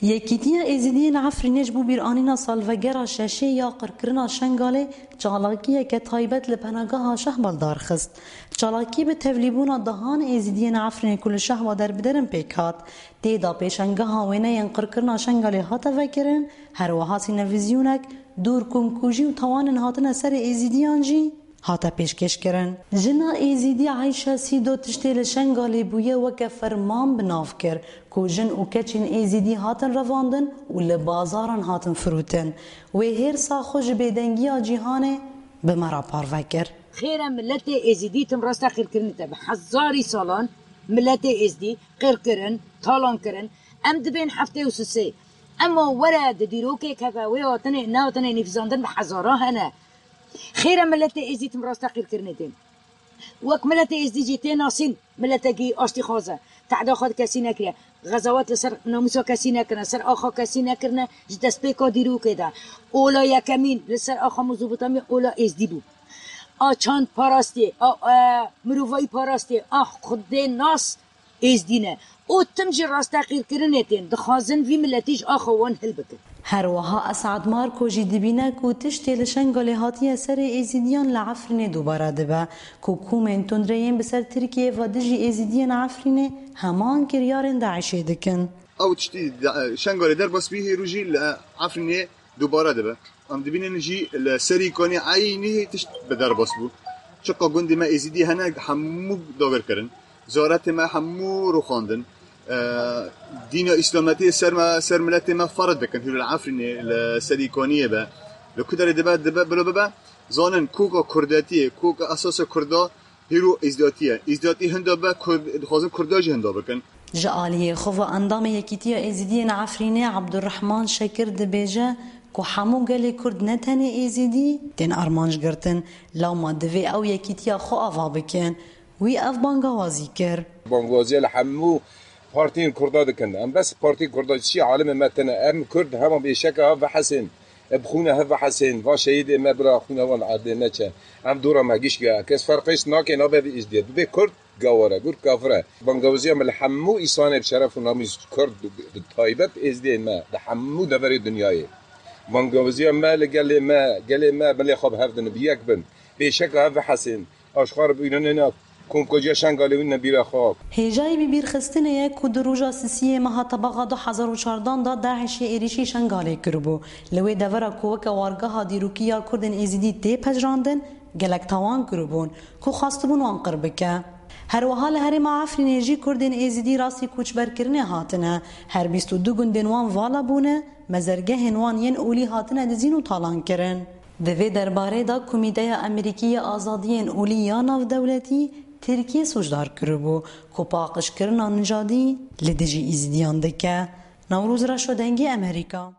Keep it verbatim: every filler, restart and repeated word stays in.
Yekîtiya Êzidiyên Efrînê ji bo bîranîna salvegera şeşê ya qirkirina Şengalê çalakiyeke taybet li penageha Şehba li dar xist. Çalakî bi tevlîbûna dehan Êzidiyên Efrînê ku li Şehba derbiderin pêk hat. Tê de pêşangeha wêneyên qirkirina Şengalê hate vekirin, her wiha sînevîzyonek, dûr komkujî û tawanên hatine serê Êzidiyan jî hate pêşkêşkirin. Jina Êzidî Eyşe Sîdo tiştê li Şengalê bûye weke ferman bi nav kir ku jin û keçên Êzidî hatin revandin û li bazaran hatin firûtin. Wê hêrsa xwe ji bêdengiya cîhanê bi me re parve kir. Xêr e miletê Êzidî tim rasta qîrkirinê te bi hezarî salan miletê Êzidî qîrkirin, talan kirin. Em dibên heftê û sisê. Ema were di dîrokê keve wê hatinê, nehatinê nivîsandin bi hezara hene. Xêr e miletê Êzidî tim rasta qîrkirinê tên. Wek miletê Êzidî jî tê nasîn miletekî aştîxwaz e. Tehda xwe di kesî nekiriye. Xezawet li ser namûsa kesî nekirine, ser axa kesî nekirine ji destpêka dîrokê de. Ola yekemîn li ser axa Mezopotamya ola Êzdî bû. A çand parastê, a, e, mirovayî parastê, a xwedê nas Êzdî ne. Û tim jî rasteqîrkirinê tên, dixwazin vî miletî ji axa wan hilbikin. Her wiha Esad Marko jî dibîne ku tiştê li Şengalê hatiye serê Êzidiyan li Efrînê dubare dibe, ku komên tundreyên bi ser Tirkiyê ve dijî Êzidiyên Efrînê heman kiryarên DAIŞê dikin. Ew tiştî de-, Şengalê derbas bî, hêrû jî li Efrînê dubare dibe. Em dibînin jî li Serî Kanî eynî tişt bi derbas bû. Çiqa gundê me Êzidî hene, hemû dagir kirin. Zaretê me hemû rûxandin. E, dîna Îslametiyê ser me, ser miletê me ferz dikin. Hûn li Efrînê, li Serî Kaniyê be. Li ku derê dibe, dibe, bilo bibe. Zanin koka Kurdetiyê, koka esasa Kurda hîro Êzdatî ye. Êzdatî hinda be, Kurd, dixwazin Kurda jî hinda bikin. Ji aliyê xwe ve endamê Yekîtiya Êzidiyên Efrînê Abdurrahman Şekir dibêje ku hemû gelê Kurd ne tenê Êzidî tên armanc girtin, lewma divê ew yekîtiya xwe ava bikin. Wî ev bangawazî kir. Bangwaziya li hemû partiyên Kurda dikin. Em bes partiyên Kurda çi alimê me tine. Em Kurd hema bêşeke ha vehesên. Bi xûna hev vehesên, va şehîdê me bila xûna wan erdê neçe. Em dora me giş ya. Kes ferqêş nake nabe vî Êzdiye. Dibê Kurd gawar e, Kurd kafir e. Bangawaziya me li hemû îsanê bi şeref û namîs Kurd bi taybet Êzdiyên me di hemû deverê dinyayê. Bangawaziya me li gelê me, gelê me milê xwe bi hev din bi yek bin. Bêşeke hev vehesên. Aşxar bûyne nêna komkojiya Şengalê wî nebîra xwe. Hêjayî bîbîrxistinê ye ku di roja sisiyê meha Tebaxa du hezar û çardan de DAIŞê êrîşî Şengalê kiribû. Li wê devera ku weke wargeha dîrokî ya Kurdên Êzidî tê pejirandin, gelek tawan kiribûn ku xwestibûn wan qir bike. Her wiha li herêma Efrînê jî Kurdên Êzidî rastî koçberkirinê hatine. Her bîst û du gundên wan vala bûne, mezergehên wan yên olî hatine dizîn û talan kirin. Di vê derbarê de Komîteya Amerîkî ya Azadiyên Olî ya Navdewletî Tirkiyê sûcdar kiribû ku paqijkirina nijadî li dijî Îzidiyan dike. Newroz Reşo, Dengê Amerîka.